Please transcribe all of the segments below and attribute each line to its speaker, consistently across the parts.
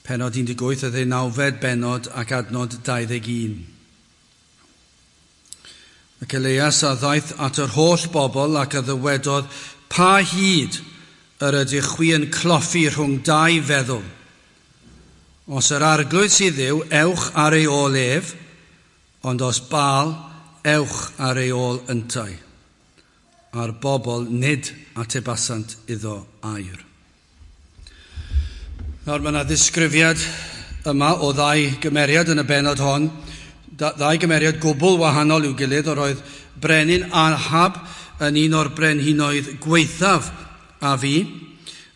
Speaker 1: Pennod 18, y ddeunawfed bennod ac adnod 21. Ac Elias a ddaeth at yr holl bobl ac a ddywedodd, pa hyd yr ydych chwi yn cloffi rhwng dau feddwl? Os yr Arglwydd sydd Dduw, ewch ar ei ôl ef, ond os Baal, ewch ar ei ôl yntau. A'r bobl nid atebasant iddo air. Nawr mae yna ddisgrifiad yma o ddau gymeriad yn y bennod hon, ddau gymeriad gwbl wahanol i'w gilydd. Yr oedd brenin Ahab yn un o'r brenhinoedd gwaethaf a fu,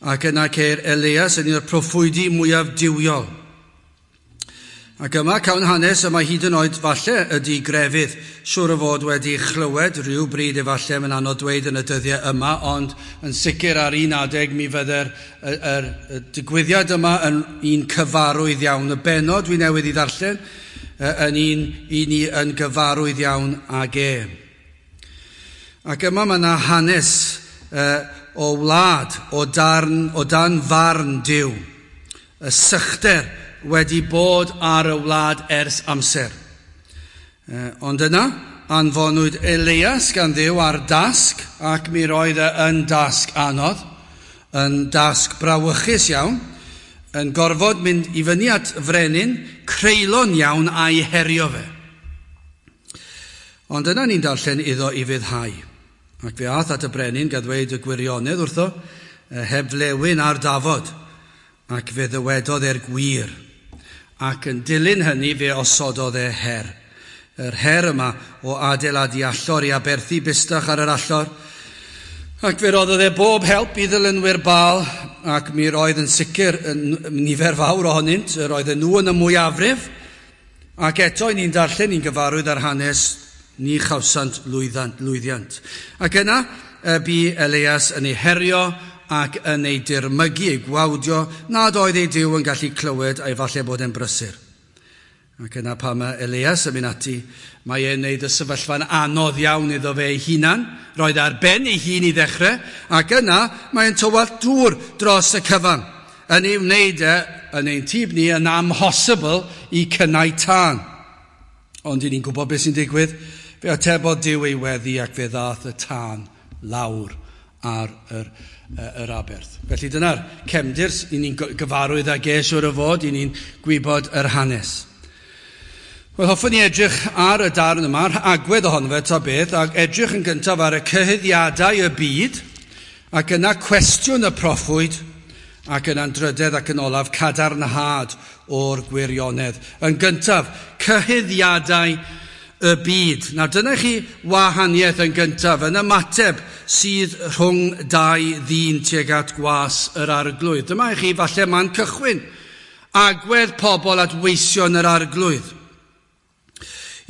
Speaker 1: ac yna ceir Elias yn un o'r proffwydi mwyaf duwiol. Ac yma cawn hanes y mae hyd yn oed falle ydy grefydd, siŵr o fod wedi chlywed rhyw bryd efallai, mae'n anodd dweud yn y dyddiau yma, ond yn sicr ar un adeg mi fydde'r y digwyddiad yma yn un cyfarwydd iawn. Y bennod dwi newydd i ddarllen yn un i ni yn gyfarwydd iawn ag e. Ac yma mae yna hanes o wlad, o darn, o dan farn Duw. Y sychder wedi bod ar y wlad ers amser. Ond yna, anfonwyd Elias gan Dduw ar dasg, ac mi roedd e yn dasg anodd, yn dasg brawychus iawn, yn gorfod mynd i fyny at frenin creulon iawn a'i herio fe. Ond yna ni'n darllen iddo i fyddhau. Ac fe ath at y brenin gan ddweud y gwirionedd wrtho, heb flewyn ar dafod, ac fe ddywedodd e'r gwir. Ac yn dilyn hynny fe osododd e her. Yr her yma o adeiladu allor i aberthu bustach ar yr allor. Ac fe roddodd e bob help i ddilynwyr Baal, ac mi roedd yn sicr yn nifer fawr ohonynt, yr oedden nhw yn y mwyafrif. Ac eto, ni'n darllen, ni'n gyfarwydd ar hanes, ni chawsant lwyddiant. Ac yna, bu Elias yn ei herio ac yn ei dirmygu, ei gwawdio, nad oedd ei Duw yn gallu clywed a'i falle bod e'n brysur. Ac yna pan mae Elias yn mynd ati, mae e'n neud y sefyllfa'n anodd iawn iddo fe ei hunan, roedd ar ben ei hun i ddechrau, ac yna mae'n tywallt dŵr dros y cyfan, yn ei wneud e, yn ein tyb ni, yn amhosibl i cynnau tân. Ond i ni'n gwybod beth sy'n digwydd, fe atebodd Duw ei weddi ac fe ddaeth y tân lawr ar yr aberth. Felly dyna'r cefndir i ni'n gyfarwydd ag e siŵr o fod, i ni'n gwybod yr hanes. Wel, hoffwn i edrych ar y darn yma, yr agwedd ohono fe ta beth, ac edrych yn gyntaf ar y cyhuddiadau y byd, ac yna cwestiwn y proffwyd, ac yna'n drydedd ac yn olaf cadarnhad o'r gwirionedd. Yn gyntaf, cyhuddiadau y byd. Nawr dyna chi wahaniaeth yn gyntaf, yn ymateb sydd rhwng dau ddyn tuag at gwas yr Arglwydd. Dyma i chi falle man cychwyn, agwedd pobl at weision yr Arglwydd.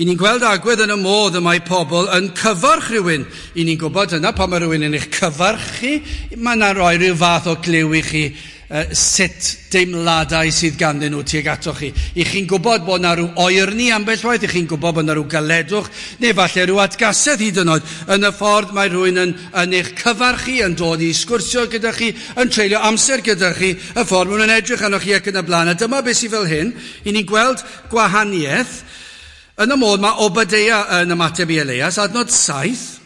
Speaker 1: I ni'n gweld agwedd yn y modd y mae pobl yn cyfarch rhywun. I ni'n gwybod yna pan mae rhywun yn eich cyfarch chi, mae yna roi rhyw fath o gliw i chi sut deimladau sydd ganddyn nhw tuag atoch chi. I chi'n gwybod bod yna rhyw oerni ambell waith, i chi'n gwybod bod yna rhyw galedwch, neu falle rhyw atgasedd hyd yn oed yn y ffordd mae rhywun yn eich cyfarch chi, yn dod i sgwrsio gyda chi, yn treulio amser gyda chi, y ffordd maen nhw'n edrych arnoch chi ac yn y blaen. A dyma beth sydd fel hyn, i ni'n gweld gwahaniaeth yn y modd mae Obadeia yn ymateb i Elias, adnod 7,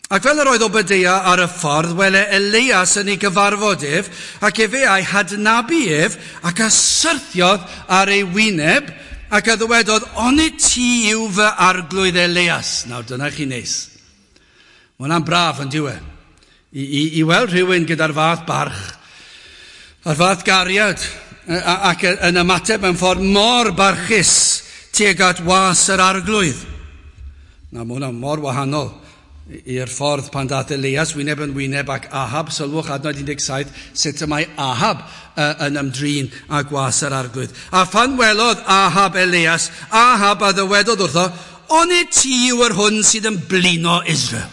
Speaker 1: ac fel yr oedd Obadeia ar y ffordd, wele Elias yn ei gyfarfod ef, ac efe a'i hadnabu ef, ac a syrthiodd ar ei wyneb, ac a ddywedodd, onid ti yw fy arglwydd Elias? Nawr, dyna chi neis. Mae hwnna'n braf yn diwe. I weld rhywun gyda'r fath barch, a'r fath gariad, ac yn ymateb mewn ffordd mor barchus tuag at was yr arglwydd. Na, mae hwnna mor wahanol i'r ffordd pan daeth Elias wyneb yn wyneb ac Ahab, sylwch adnod 17, sut y mae Ahab yn ymdrin â gwas yr arglwydd. A phan welodd Ahab Elias, Ahab a ddywedodd wrtho, onid ti yw yr hwn sydd yn blino Israel?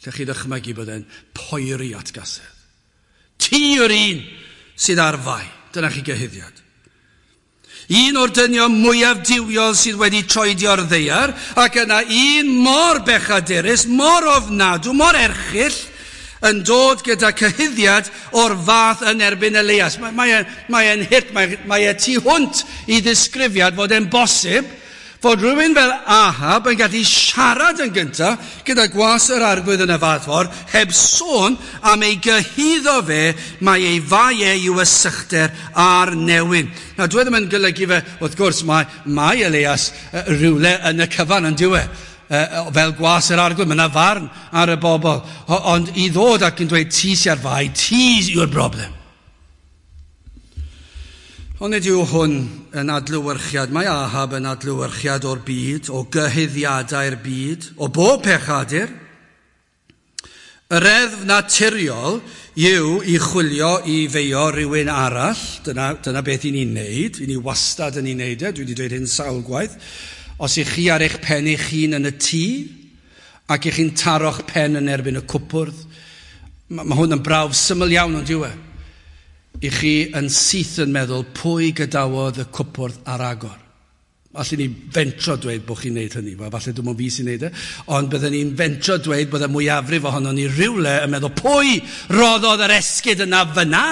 Speaker 1: Lle chi ddychmygu bod e'n poeri atgasedd. Ti yw'r un sydd ar fai. Dyna chi gyhuddiad. Un o'r dynion mwyaf duwiol sydd wedi troedio'r ddaear, ac yna un mor bechadurus, mor ofnadw, mor erchyll, yn dod gyda cyhuddiad o'r fath yn erbyn Elias. Mae e'n hurt, mae e tu hwnt i ddisgrifiad fod e'n bosib fod rhywun fel Ahab yn gallu siarad yn gyntaf gyda gwas yr arglwydd yn y fath ffordd, heb sôn am ei gyhuddo fe, mae ei fai e i'w ysychder a'r newyn. Nawr, dwi ddim yn golygu fe, wrth gwrs, mae Elias rhywle yn y cyfan yn diwe. Fel gwas yr arglwydd, mae yna farn ar y bobl. Ond i ddod ac yn dweud, ti sy'n ar fai, ti yw'r broblem. Ond nid yw hwn yn adlewyrchiad, mae Ahab yn adlewyrchiad o'r byd, o gyhuddiadau'r byd, o bob pechadur. Y reddf naturiol yw i chwilio i feio rhywun arall, dyna beth i ni'n neud, i ni wastad yn ei wneud e, dwi wedi dweud hyn sawl gwaith. Os ych chi ar eich pen eich hun yn y tŷ, ac ych chi'n taro'ch pen yn erbyn y cwpwrdd, mae hwn yn brawf syml iawn ond yw e. I chi yn syth yn meddwl pwy gadawodd y cwpwrdd ar agor. Allen ni fentro dweud bod chi'n neud hynny, falle dim ond fi sy'n neud e, ond bydden ni'n fentro dweud bod y mwyafrif ohonon ni rhywle yn meddwl pwy roddodd yr esgid yna fyna,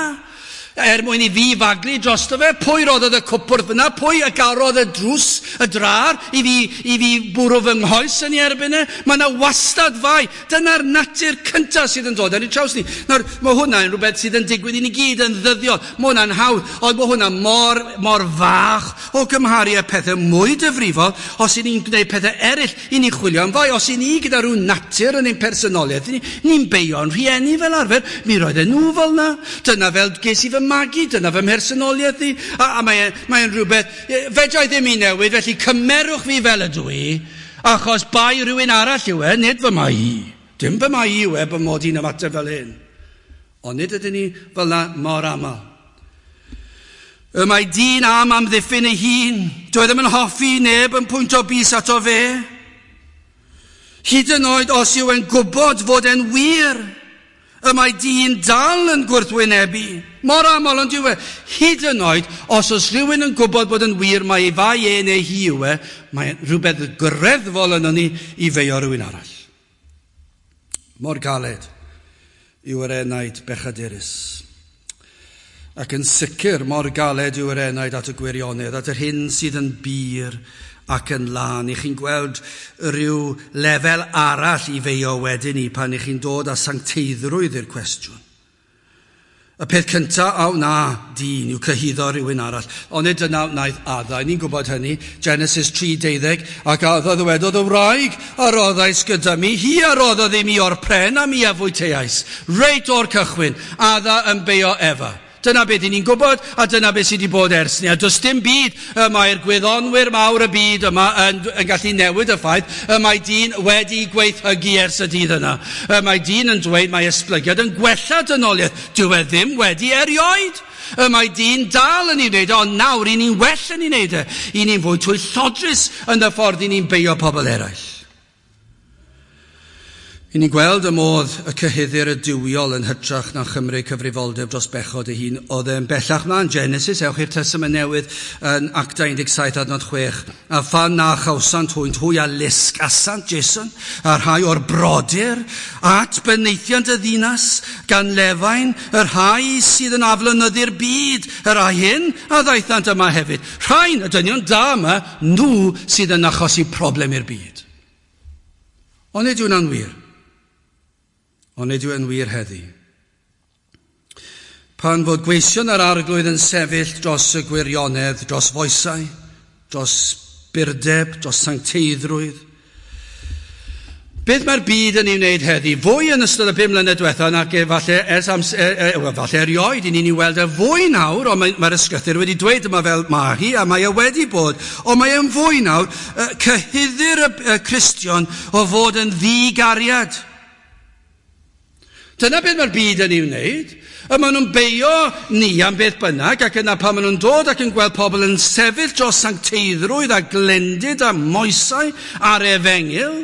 Speaker 1: er mwyn i fi faglu drosto fe, pwy roddodd y cwpwrdd fyna, pwy y garodd y drws, y drar, i fi bwrw fy nghoes yn ei erbyn e. Mae yna wastad fai. Dyna'r natur cyntaf sydd yn dod ar ei traws ni. Nawr, mae hwnna'n rhywbeth sydd yn digwydd i ni gyd yn ddyddiol. Mae hwnna'n hawdd, ond mae hwnna mor, mor fach o gymharu â pethau mwy difrifol. Os i ni'n gwneud pethau eraill, i ni'n chwilio am fai. Os i ni gyda rhyw natur yn ein personoliaeth, ni'n beio'n rhieni fel arfer. Mi roedden nhw fel na. Dyna fel ges i fy magu, dyna fy mhersonoliaeth i, a mae'n rhywbeth, fedra i ddim i newid, felly cymerwch fi fel ydw i, achos bai rhywun arall yw e, nid fy mai i. Dim fy mai i yw e, bod mod i'n ymateb fel hyn. Ond nid ydyn ni fel na mor aml. Y mae dyn am amddiffyn ei hun, dyw e ddim yn hoffi neb yn pwyntio bys ato fe. Hyd yn oed os yw e'n gwybod fod e'n wir, y mae dyn dal yn gwrthwynebu. Mor aml ond yw e. Hyd yn oed, os oes rhywun yn gwybod bod yn wir mae ei fai e neu hi yw e, mae rhywbeth greddfol yno ni i feio rhywun arall. Mor galed yw yr enaid bechadurus. Ac yn sicr mor galed yw yr enaid at y gwirionedd, at yr hyn sydd yn bur ac yn lân. I chi'n gweld rhyw lefel arall i feio wedyn ni pan i chi'n dod â sancteiddrwydd i'r cwestiwn. Y peth cyntaf a wna dyn yw cyhuddo rhywun arall. Ond nid dyna wnaeth Adda, ni'n gwybod hynny, Genesis 3:12, ac Adda ddywedodd y wraig a roddais gyda mi, hi a roddodd i mi o'r pren a mi a fwyteais. Reit o'r cychwyn, Adda yn beio Efa. Dyna beth ni'n gwybod, a dyna beth sydd wedi bod ers ni. A does dim byd y mae'r gwyddonwyr mawr y byd yma yn gallu newid y ffaith y mae dyn wedi gweithhygu ers y dydd yna. Y mae dyn yn dweud mae esblygiad yn gwella dynoliaeth. Dyw e ddim wedi erioed. Y mae dyn dal yn ei wneud, ond nawr i ni'n well yn ei wneud e. I ni'n fwy twyllodrus yn y ffordd i ni'n beio pobl eraill. I ni'n gweld y modd y cyhuddir y duwiol yn hytrach na chymryd cyfrifoldeb dros bechod ei hun. Oedd e'n bellach mlaen Genesis, ewch i'r Testament Newydd yn Actau 17 adnod 6. A phan na chawsant hwynt, hwy a lusgasant Jason, a rhai o'r brodyr, at benaethiant y ddinas, gan lefain, y rhai sydd yn aflonyddu'r byd, y rhai hyn a ddaethant yma hefyd. Rhain, y dynion da yma, nhw sydd yn achosi problem i'r byd. Ond nid yw'n anwir. Ond nid yw yn wir heddi. Pan fod gweision yr arglwydd yn sefyll dros y gwirionedd, dros foesau, dros burdeb, dros sancteiddrwydd. Beth mae'r byd yn ei wneud heddi? Fwy yn ystod y 5 mlynedd diwetha nag falle, ers falle erioed, i ni'n ei weld e fwy nawr, ond mae'r ysgrythur wedi dweud yma fel mae hi, a mae e wedi bod, ond mae e'n fwy nawr, cyhuddir y Cristion o fod yn ddigariad. Dyna beth mae'r byd yn ei wneud. Y maen nhw'n beio ni am beth bynnag, ac yna pan maen nhw'n dod ac yn gweld pobl yn sefyll dros sancteiddrwydd a glendid a moesau a'r efengyl,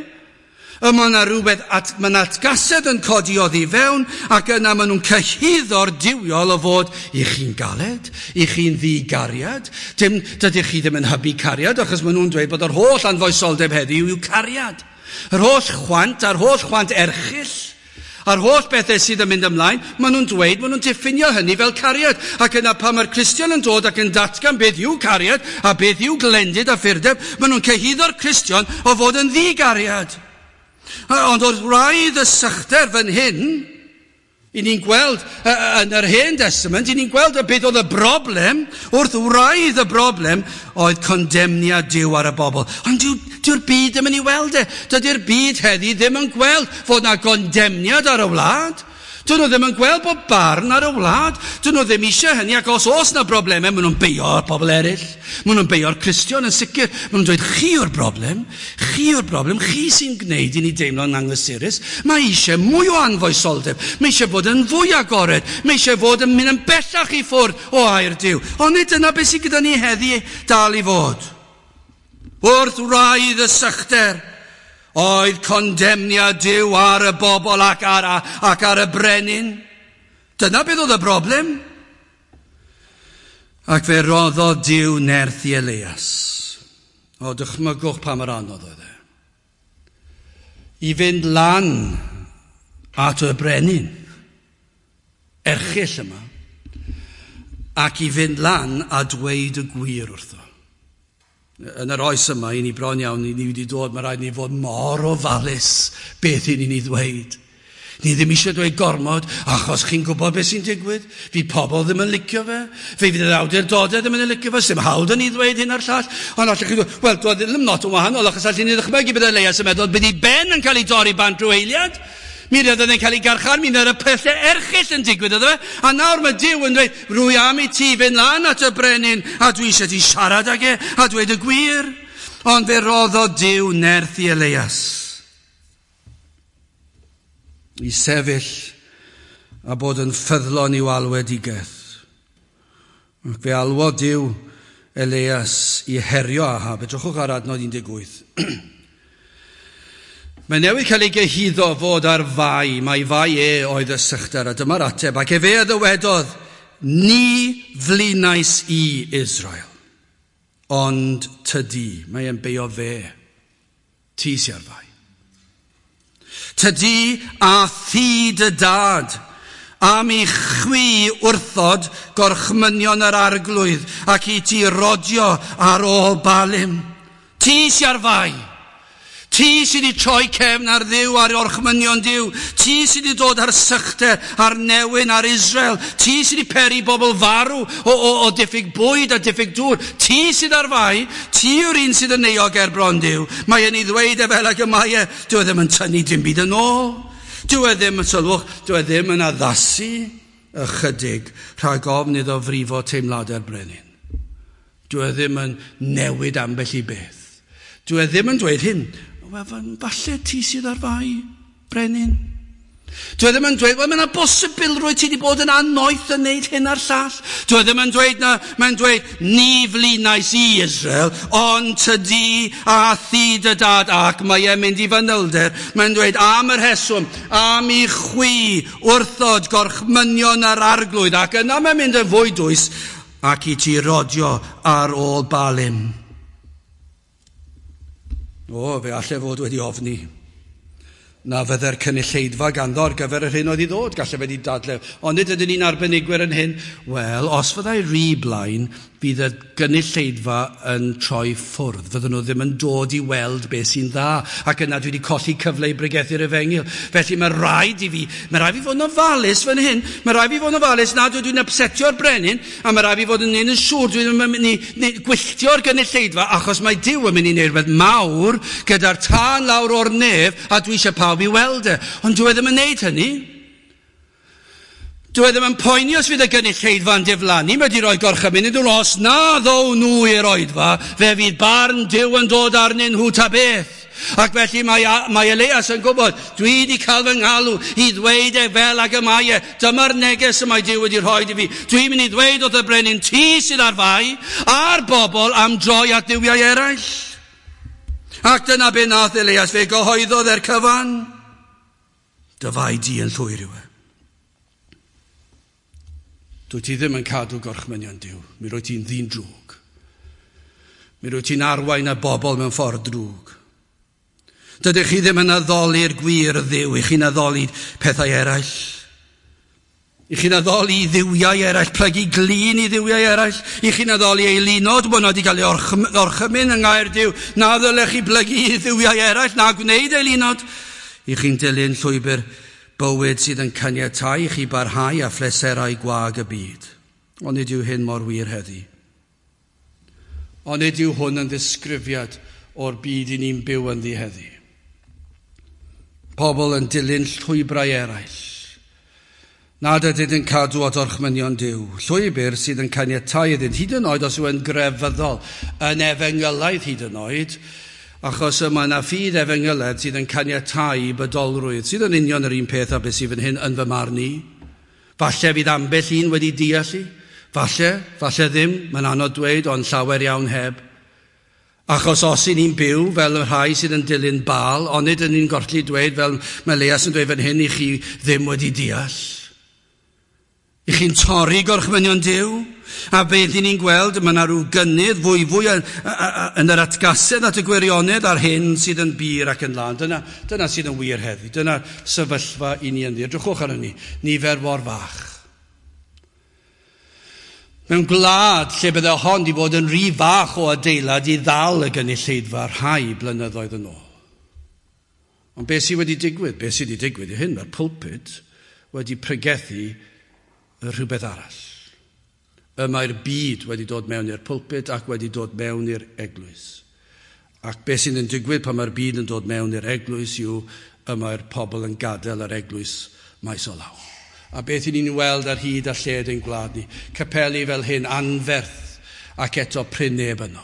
Speaker 1: y mae yna rhywbeth, mae yna atgasedd yn codi oddi fewn, ac yna maen nhw'n cyhuddo'r duwiol o fod i chi'n galed, i chi'n ddigariad. Dim, dydych chi ddim yn hybu cariad, achos maen nhw'n dweud bod yr holl anfoesoldeb heddiw yw cariad. Yr holl chwant a'r holl chwant erchyll, A'r holl bethau sydd yn mynd ymlaen, maen nhw'n dweud, maen nhw'n diffinio hynny fel cariad. Ac yna pan mae'r Cristion yn dod ac yn datgan beth yw cariad a beth yw glendid a ffurdeb, maen nhw'n cyhuddo'r Cristion o fod yn ddigariad. Ond wrth wraidd y sychder fan hyn, i ni'n gweld yn yr Hen Testament, i ni'n gweld y beth oedd y broblem, wrth wraidd y broblem, oedd condemniad Duw ar y bobl. Ond dyw'r byd ddim yn ei weld e. Dydy'r byd heddi ddim yn gweld fod na gondemniad ar y wlad. Dyn nhw ddim yn gweld bod barn ar y wlad. Dyn nhw ddim eisiau hynny, ac os oes na broblemau, maen nhw'n beio'r pobl eraill. Maen nhw'n beio'r Cristion yn sicr. Maen nhw'n dweud, chi yw'r broblem, chi yw'r broblem, chi sy'n gwneud i ni deimlo'n anghysurus. Mae eisiau mwy o anfoesoldeb, mae eisiau bod yn fwy agored, mae eisiau fod yn mynd yn bellach i ffwrdd o air Duw. Ond nid dyna beth sydd gyda ni heddi dal i fod. Wrth wraidd y sychder, oedd condemniad Duw ar y bobl ac ar y brenin. Dyna beth oedd y broblem. Ac fe roddodd Duw nerth i Elias. O, dychmygwch pa mor anodd oedd e. I fynd lan at y brenin, erchyll yma, ac i fynd lan a dweud y gwir wrtho. Yn yr oes yma, i ni bron iawn, i ni wedi dod, mae rhaid ni fod mor ofalus beth i ni'n ei ddweud. Ni ddim eisiau dweud gormod, achos chi'n gwybod beth sy'n digwydd. Fydd pobl ddim yn licio fe. Fe fydd yr awdurdodau ddim yn licio fe. Sdim hawl 'da ni ddweud hyn a'r llall. Ond allwch chi ddweud, wel, dwi ddim lot yn wahanol, achos allwn ni ddychmygu bydd Elias yn meddwl bydd ei ben yn cael ei dorri bant rhyw eiliad. Mi fydd e'n cael ei garchar, mi fydd y pethau erchyll yn digwydd iddo fe. A nawr mae Duw yn dweud, rwy am i ti fynd lan at y brenin, a dwi eisiau ti siarad ag e, a dweud y gwir. Ond fe roddodd Duw nerth i Elias i sefyll a bod yn ffyddlon i'w alwedigaeth. Ac fe alwodd Duw Elias i herio Ahab. Edrychwch ar adnod 18. Mae newydd cael ei gyhuddo fod ar fai, mai fai e oedd y sychder, a dyma'r ateb, ac efe a ddywedodd, ni flinais i Israel, ond tydi, mae e'n beio fe, ti sy ar fai. Tydi a thi dy dad, am i chwi wrthod gorchmynion yr arglwydd, ac i ti rodio ar ôl Baalim. Ti sy ar fai. Ti sydd wedi troi cefn ar Dduw, ar orchmynion Duw. Ti sydd wedi dod ar sychder, ar newyn, ar Israel. Ti sydd wedi peri bobl farw o diffyg bwyd a diffyg dŵr. Ti sydd ar fai. Ti yw'r un sydd yn euog ger bron Duw. Mae e'n ei ddweud e fel ag y mae e. Dyw e ddim yn tynnu dim byd yn ôl. Dyw e ddim yn sylwch, dyw e ddim yn addasu ychydig rhag ofn iddo frifo teimladau'r brenin. Dyw e ddim yn newid ambell i beth. Dyw e ddim yn dweud hyn. Wel, falle ti sydd ar fai, brenin. Dyw e ddim yn dweud, wel, mae yna bosibilrwydd ti wedi bod yn annoeth yn neud hyn a'r llall. Dyw e ddim yn dweud na, mae'n dweud, ni flinais i Israel, ond tydi a thi dy dad, ac mae e'n mynd i fanylder. Mae'n dweud, am yr heswm, am i chwi wrthod gorchmynion yr arglwydd, ac yna mae'n mynd yn fwy dwys, ac i ti rodio ar ôl Baalim. O, fe allai fod wedi ofni na fydde'r cynulleidfa ganddo ar gyfer yr hyn oedd i ddod, gallai fe wedi dadle. Ond nid ydyn ni'n arbenigwyr yn hyn. Wel, os fyddai rhy blaen, fydd y gynulleidfa yn troi ffwrdd. Fydden nhw ddim yn dod i weld beth sy'n dda. Ac yna dwi wedi colli cyfle i bregethu'r efengyl. Felly mae rhaid i fi fod yn ofalus fan hyn. Mae rhaid i fi fod yn ofalus nad ydw i'n upsetio'r brenin, a mae rhaid i fi fod yn un yn siŵr dwi'n mynd i gwylltio'r gynulleidfa, achos mae Duw yn mynd i wneud rhywbeth mawr gyda'r tân lawr o'r nef, a dwi eisiau pawb i weld e. Ond dwi ddim yn wneud hynny. Dwi ddim yn poeni os fydd y gynulleidfa'n diflannu, mae wedi rhoi gorchymyn iddyn nhw, os na ddow nhw i'r oedfa, fe fydd barn Duw yn dod arnyn nhw ta beth. Ac felly mae Elias yn gwybod, dwi wedi cael fy ngalw i ddweud e fel ag y mae e. Dyma'r neges y mae Duw wedi rhoi i fi. Dwi'n mynd i ddweud wrth y brenin, ti sydd ar fai, a'r bobl am droi at dduwiau eraill. Ac dyna be nath Elias, fe gyhoeddodd e'r cyfan. Dy fai di yn llwyr yw e. Dwi ti ddim yn cadw gorchmynion Duw. Mi rwy ti'n ddyn drwg. Mi rwy ti'n arwain y bobl mewn ffordd drwg. Dydych chi ddim yn addoli'r gwir Dduw, i chi'n addoli pethau eraill. I chi'n addoli dduwiau eraill, plygu glin i dduwiau eraill. I chi'n addoli eilunod, bod nhw wedi cael ei orchymyn yng ngair Duw. Na ddylech chi blygu i dduwiau eraill, na gwneud eilunod. I chi'n dilyn llwybr bywyd sydd yn caniatáu i chi barhau â phleserau gwag y byd. Ond nid yw hyn mor wir heddi. Ond nid yw hwn yn ddisgrifiad o'r byd i ni'n byw ynddi heddi. Pobl yn dilyn llwybrau eraill. Nad ydynt yn cadw at orchmynion Duw. Llwybr sydd yn caniatáu iddynt, hyd yn oed os yw yn grefyddol, yn efengylaidd hyd yn oed, achos y mae yna ffydd efengylaidd sydd yn caniatáu bydolrwydd, sydd yn union yr un peth â beth sydd fan hyn yn fy marn i. Falle fydd ambell un wedi deall i. Falle, falle ddim, mae'n anodd dweud, ond llawer iawn heb. Achos os y'n ni'n byw fel y rhai sydd yn dilyn Baal, onid yn ni'n gorfod dweud fel mae Elias yn dweud fan hyn, i chi ddim wedi deall. I chi'n torri gorchmynion Duw? A beth i ni'n gweld, mae yna rhyw gynnydd fwyfwy yn yr atgasedd at y gwirionedd a'r hyn sydd yn bur ac yn lân. Dyna sydd yn wir heddi. Dyna sefyllfa i ni ynddi. Edrychwch arno ni, nifer mor fach. Mewn gwlad lle bydde hon wedi bod yn rhy fach o adeilad i ddal y gynulleidfa rhai blynyddoedd yn ôl. Ond beth sydd wedi digwydd? Beth sydd wedi digwydd i hyn? Mae'r pulpit wedi pregethu rhywbeth arall. Y mae'r byd wedi dod mewn i'r pulpit ac wedi dod mewn i'r eglwys. Ac beth sydd yn digwydd pan mae'r byd yn dod mewn i'r eglwys yw y mae'r pobl yn gadael yr eglwys maes o law. A beth i ni'n weld ar hyd a lled ein gwlad ni. Capeli fel hyn anferth ac eto prin neb yno.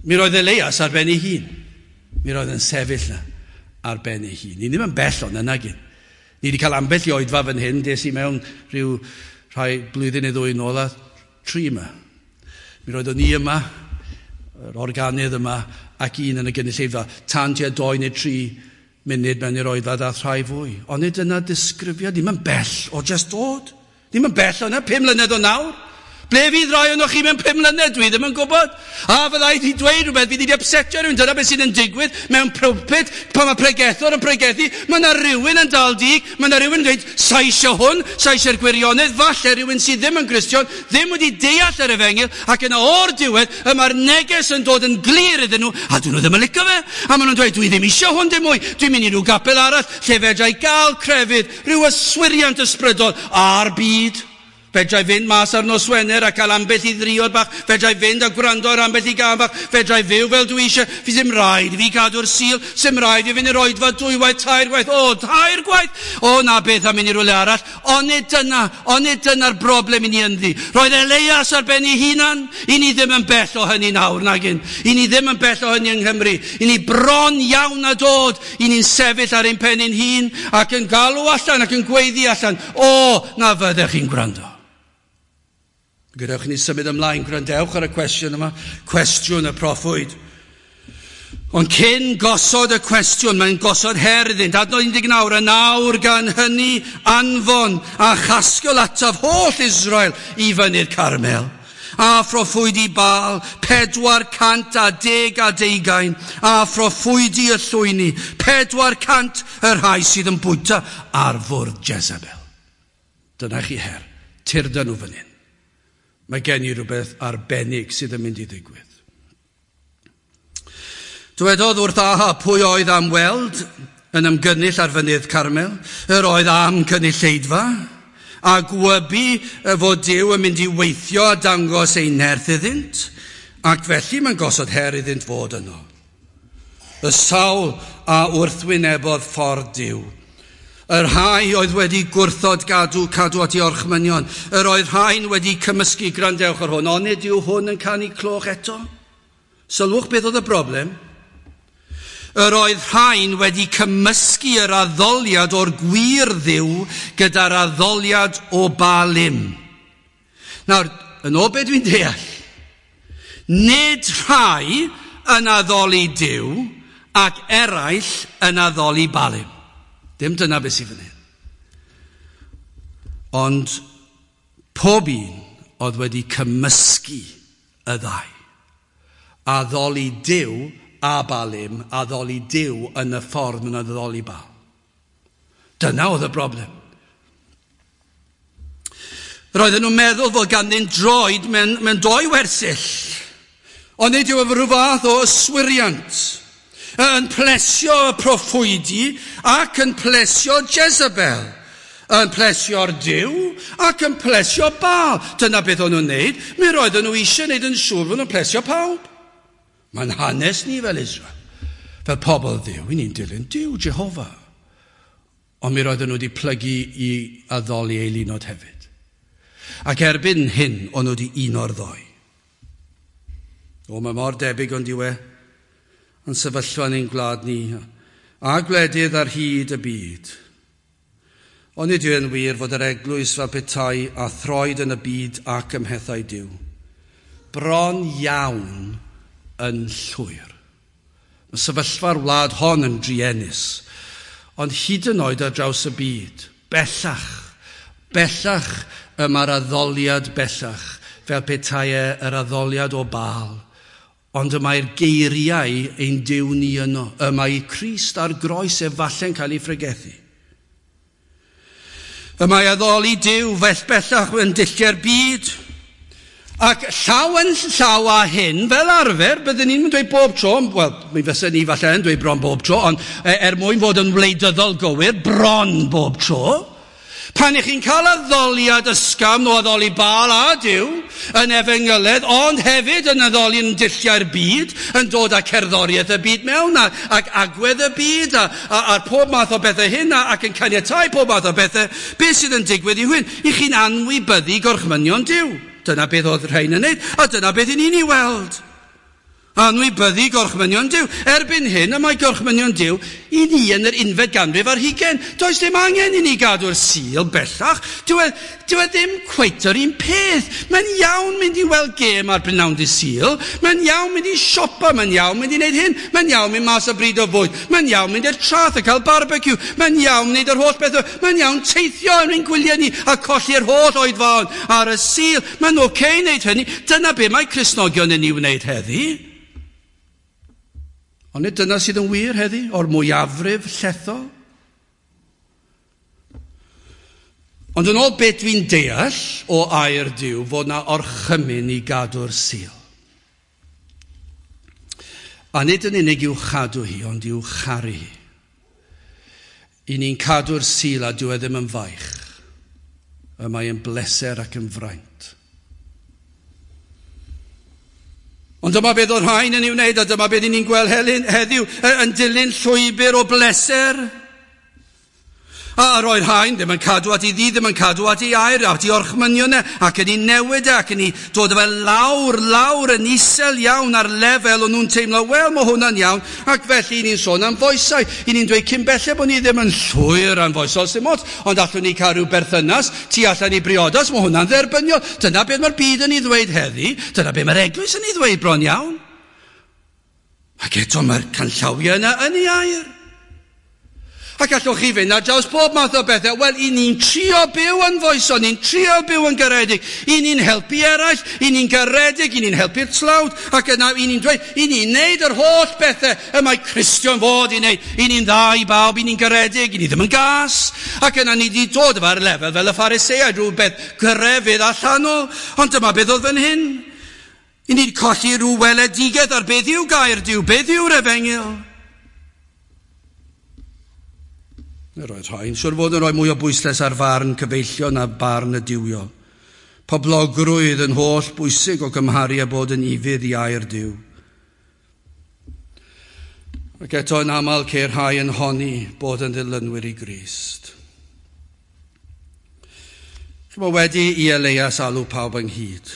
Speaker 1: Mi roedd Elias ar ben ei hun. Mi roedd yn sefyll na ar ben ei hun. Ni ddim yn bell o'n yna gyn. Ni wedi cael ambell i oedfa fan hyn, des i mewn rhyw rhai blwyddyn neu ddwy nôl a tri yma. Mi roeddwn ni yma, yr organydd yma, ac un yn y gynulleidfa, tan tua 2 neu 3 munud mewn i'r oedfa ddath rhai fwy. Ond nid yna disgrifiad, ddim yn bell o just dod. Ddim yn bell o yna, 5 mlynedd o nawr. Ble fydd rai ohonoch chi mewn 5 mlynedd? Dwi ddim yn gwybod. A fydda i wedi dweud rhywbeth, fydd wedi upsetio rhywun. Dyna beth sydd yn digwydd mewn pulpit, pan mae pregethwr yn pregethu, mae yna rhywun yn dal dig, mae yna rhywun yn dweud, sa eisiau hwn, sa eisiau'r gwirionedd, falle rhywun sydd ddim yn Gristion, ddim wedi deall yr efengyl, ac yna o'r diwedd, y mae'r neges yn dod yn glir iddyn nhw, a dyn nhw ddim yn licio fe. A maen nhw'n dweud, dwi ddim eisiau hwn dim mwy, dwi'n mynd i rhyw gapel arall, lle fedra i gael crefydd, rhyw yswiriant ysbrydol a'r byd. Fedra i fynd mas ar nos Wener a cael ambell i ddriod bach. Fedra i fynd a gwrando ar ambell i gân bach. Fedra i fyw fel dwi eisiau. Fi ddim rhaid i fi gadw'r Sul. Sim rhaid i fi fynd i'r oedfa 2 gwaith, 3 gwaith. O, 3 gwaith! O, na beth am mynd i rywle arall. Ond nid dyna'r broblem i ni ynddi. Roedd Elias ar ben ei hunan. I ni ddim yn bell o hynny nawr, nagyn. I ni ddim yn bell o hynny yng Nghymru. I ni bron iawn a dod. I ni'n sefyll ar ein pen ein hun ac yn galw allan ac yn gweiddi allan. O, na fyddech chi'n gwrando. Gadewch i ni symud ymlaen, gwrandewch ar y cwestiwn yma, cwestiwn y proffwyd. Ond cyn gosod y cwestiwn, mae'n gosod her iddynt. Adnod 19, a nawr gan hynny anfon a chasgl ataf holl Israel i fynydd Carmel. A phroffwydi Baal, 412, a phroffwydi y llwyni, 400 y rhai sydd yn bwyta ar fwrdd Jezebel. Dyna chi her, tyrda nhw fan hyn. Mae gen i rhywbeth arbennig sydd yn mynd i ddigwydd. Dywedodd wrth Ahab pwy oedd am weld yn ymgynnull ar fynydd Carmel, yr oedd am cynulleidfa, a gwybu fod Duw yn mynd i weithio a dangos ei nerth iddynt, ac felly mae'n gosod her iddynt fod yno. Y sawl a wrthwynebodd ffordd Duw. Y rhai oedd wedi gwrthod cadw at ei orchmynion. Yr oedd rhain wedi cymysgu, gwrandewch ar hwn, ond nid yw hwn yn canu cloch eto. Sylwch beth oedd y broblem. Yr oedd rhain wedi cymysgu yr addoliad o'r gwir Dduw gyda'r addoliad o Baalim. Nawr, yn ôl beth dwi'n deall, nid rhai yn addoli Duw ac eraill yn addoli Baalim. Dim dyna beth sydd fan hyn. Ond pob un oedd wedi cymysgu y ddau. Addoli Duw a Balim addoli Duw yn y ffordd maen nhw'n addoli Baal. Dyna oedd y broblem. Roedden nhw'n meddwl fod ganddyn droed mewn doi wersyll. Ond nid yw efo rhyw fath o yswiriant yn plesio y proffwydi ac yn plesio Jezebel, yn plesio'r Duw ac yn plesio Baal. Dyna beth o'n nhw'n neud. Mi roedden nhw eisiau neud yn siŵr fod nhw'n plesio pawb. Mae'n hanes ni fel Israel, fel pobl Dduw, i ni'n dilyn Duw, Jehofa. Ond mi roedden nhw wedi plygu i addoli eilunod hefyd. Ac erbyn hyn, o'n nhw wedi uno'r ddoi. O, mae mor debyg ond yw e, yn sefyllfa yn ein gwlad ni, a gwledydd ar hyd y byd. Ond nid yw e'n wir fod yr eglwys fel petai a throed yn y byd ac ym mhethau Duw. Bron iawn yn llwyr. Mae sefyllfa'r wlad hon yn druenus, ond hyd yn oed ar draws y byd, bellach, bellach y mae'r addoliad bellach, fel petai e yr addoliad o Baal. Ond y mae'r geiriau ein Duw ni yno. Y mae Crist ar groes efallai'n cael ei phregethu. Y mae addoli Duw fel bellach yn dulliau'r byd. Ac llaw yn llaw â hyn, fel arfer, byddwn ni'n dweud bob tro, wel, mi fysa ni falle yn dweud bron bob tro, ond er mwyn fod yn wleidyddol gywir, bron bob tro, pan ych chi'n cael addoliad ysgafn o addoli Baal a Duw yn efengyledd, ond hefyd yn addoli yn dulliau'r byd, yn dod â cerddoriaeth y byd mewn, ac agwedd y byd, a'r pob math o bethau hyn, ac yn caniatáu pob math o bethau, beth sydd yn digwydd i hyn? I chi'n anwybyddu gorchmynion Duw. Dyna beth oedd rhain yn neud, a dyna beth i ni'n ei weld. Anwybyddu gorchmynion Duw. Erbyn hyn, y mae gorchmynion Duw i ni yn yr 21fed ganrif. Does dim angen i ni gadw'r Sul bellach. Dyw e ddim cweit yr un peth. Mae'n iawn mynd i weld gêm ar brynawn dydd Sul. Mae'n iawn mynd i siopa. Mae'n iawn mynd i wneud hyn. Mae'n iawn mynd mas o bryd o fwyd. Mae'n iawn mynd i'r traeth a cael barbecue. Mae'n iawn wneud yr holl beth. Mae'n iawn teithio yn ein gwyliau ni a colli'r holl oedfaon ar y Sul. Mae'n oce wneud hynny. Dyna be mae Cristnogion yn ei wneud heddi. Ond nid dyna sydd yn wir heddi, o'r mwyafrif llethol. Ond yn ôl beth dwi'n deall o air Duw, fod na orchymyn i gadw'r Sul. A nid yn unig i'w chadw hi, ond i'w charu hi. I ni'n cadw'r Sul a dyw e ddim yn faich. Y mae yn bleser ac yn fraint. Ond dyma beth oedd rhain yn ei wneud, a dyma beth ni'n gweld heddiw, yn dilyn llwybr o bleser. A roedd rhain ddim yn cadw at ei ddydd, ddim yn cadw at ei air, at ei orchmynion e, ac yn ei newid e, ac yn ei dod fel lawr yn isel iawn ar lefel o'n nhw'n teimlo, wel, mae hwnna'n iawn, ac felly ni'n sôn am foesau. I ni'n dweud cyn belled bod ni ddim yn llwyr am foesol, sy'n ots, ond allwn ni cael rhyw berthynas, tu allan i briodas, mae hwnna'n dderbyniol. Dyna beth mae'r byd yn ei ddweud heddi, dyna beth mae'r eglwys yn ei ddweud bron iawn. Ac eto mae'r canllawiau yna yn ei air. Ac allwch chi fynd ar draws pob math o bethau. Wel, i ni'n trio byw yn foesol, ni'n trio byw yn garedig, i ni'n helpu eraill, i ni'n garedig, i ni'n helpu'r tlawd, ac yna i ni'n dweud, i ni'n neud yr holl bethau y mae Cristion fod i neud. I ni'n dda i bawb, i ni'n garedig, i ni ddim yn gas. Ac yna ni wedi dod efo'r lefel fel y Phariseaid, rhywbeth grefydd allanol. Ond dyma beth oedd fan hyn. I ni'n colli rhyw weledigaeth ar beth yw gair Duw, beth yw'r efengyl. Roedd rhain siwr fod yn rhoi mwy o bwyslais ar farn cyfeillion a barn y duwiol. Poblogrwydd yn holl bwysig o gymharu â bod yn ufudd i air Duw. Ac eto yn aml ceir rhai yn honni bod yn ddilynwyr i Grist. Chimod, wedi i Elias alw pawb ynghyd.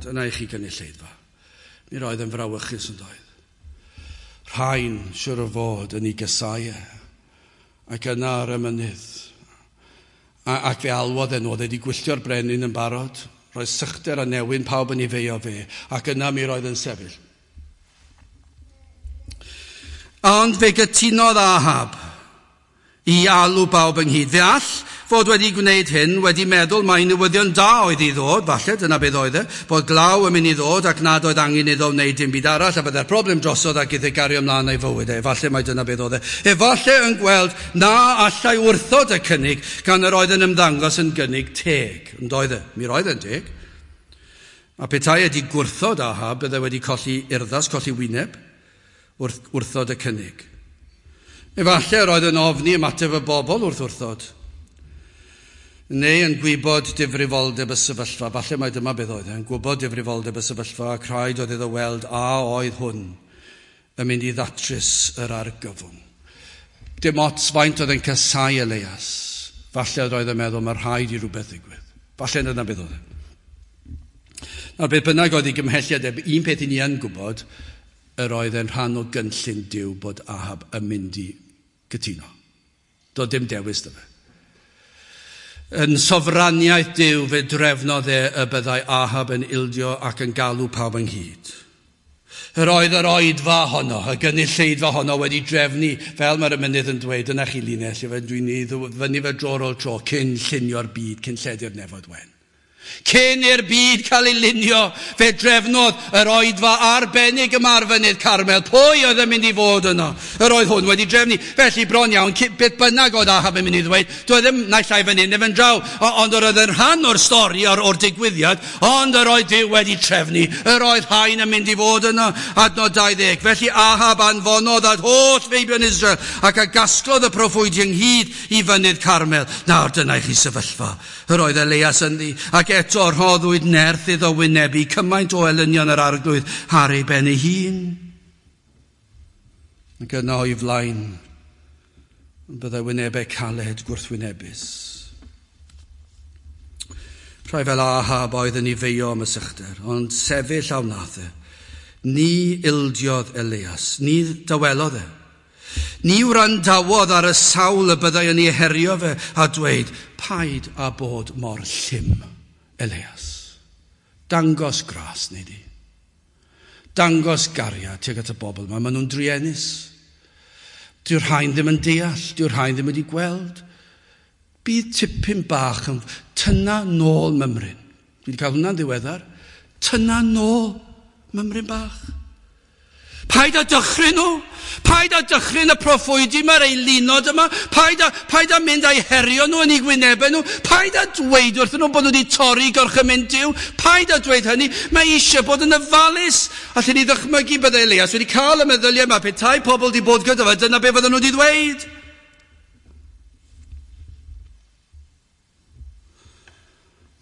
Speaker 1: Dyna i chi gynulleidfa. Mi roedd yn frawychus yn doedd. Rhain siwr o fod yn ei gysau e. Ac yna ar y mynydd. Ac fe alwodd e, oedd wedi gwylltio'r brenin yn barod. Roedd sychder a newyn pawb yn ei feio fe. Ac yna mi roedd yn sefyll. Ond fe gytunodd Ahab i alw bawb ynghyd. Fe all fod wedi gwneud hyn, wedi meddwl mai newyddion da oedd i ddod, falle, dyna beth oedd e, bod glaw yn mynd i ddod ac nad oedd angen iddo wneud dim byd arall, a byddai'r broblem drosodd ac iddo gario ymlaen ei fywyd e. Efallai mai dyna beth oedd e. Efallai yn gweld na allai wrthod y cynnig gan yr oedd yn ymddangos yn gynnig teg. Yn doedd e? Mi roedd e'n teg. A petai wedi gwrthod Ahab, byddai wedi colli urddas, colli wyneb, wrth wrthod y cynnig. Efallai yr oedd yn ofni ymateb y bobl wrth wrthod. Neu yn gwybod difrifoldeb y sefyllfa. Falle mai dyma beth oedd e, yn gwybod difrifoldeb y sefyllfa ac rhaid oedd iddo weld a oedd hwn yn mynd i ddatrys yr argyfwng. Dim ots faint oedd yn casau Elias. Falle oedd yn meddwl mae rhaid i rhywbeth ddigwydd. Falle dyna beth oedd e. Nawr, beth bynnag oedd ei gymhelliad, un peth i ni yn gwybod, yr oedd e'n rhan o gynllun Duw bod Ahab yn mynd i gytuno. Doedd dim dewis 'da fe. Yn sofraniaeth Duw fe drefnodd e y byddai Ahab yn ildio ac yn galw pawb ynghyd. Yr oedd yr oedfa honno, y gynulleidfa honno wedi drefnu, fel mae'r emynydd yn dweud, dyna chi linell, dwi'n ei fyny fe dro ar ôl tro, cyn llunio'r byd, cyn lledu'r nefoedd wen. Cyn i'r byd cael ei lunio, fe drefnodd yr oedfa arbennig yma ar fynydd Carmel. Pwy oedd yn mynd i fod yno? Yr oedd hwn wedi drefnu. Felly bron iawn, beth bynnag oedd Ahab yn mynd i ddweud, doedd ddim naill ai fan hyn neu fan draw, ond yr oedd yn rhan o'r stori, o'r digwyddiad, ond yr oedd Duw wedi trefnu. Yr oedd hain yn mynd i fod yno. Adnod 20. Felly Ahab anfonodd at holl feibion Israel ac a gasglodd y proffwydi ynghyd i fynydd Carmel. Nawr dyna i chi sefyllfa. Yr oedd Elias ynddi, ac eto rhoddwyd nerth iddo wynebu cymaint o elynion yr arglwydd ar ei ben ei hun. Ac yno o'i flaen, byddai wynebau caled gwrthwynebus. Rhai fel Ahab oedd yn ei feio am y sychder, ond sefyll a wnaeth e. Ni ildiodd Elias, ni dawelodd e. Ni wrandawodd ar y sawl y byddai yn ei herio fe a dweud, paid â bod mor llym, Elias. Dangos gras, neu di. Dangos gariad tuag at y bobl yma. Maen nhw'n druenus. Dyw'r rhain ddim yn deall, dyw'r rhain ddim wedi gweld. Bydd tipyn bach yn tynna nôl mymryn. Dwi wedi cael hwnna'n ddiweddar. Tynna nôl mymryn bach. Paid â dychryn nhw. Paid â dychryn y proffwydi mae'r eilinod yma. Paid â mynd â'i herio nhw yn eu gwynebau nhw. Paid â dweud wrthyn nhw bod nhw wedi torri gorchymyn Duw. Paid â dweud hynny. Mae eisiau bod yn ofalus. Allen ni ddychmygu byddai Elias wedi cael y meddyliau yma. Petai pobl wedi bod gyda fe, dyna be fydden nhw wedi dweud.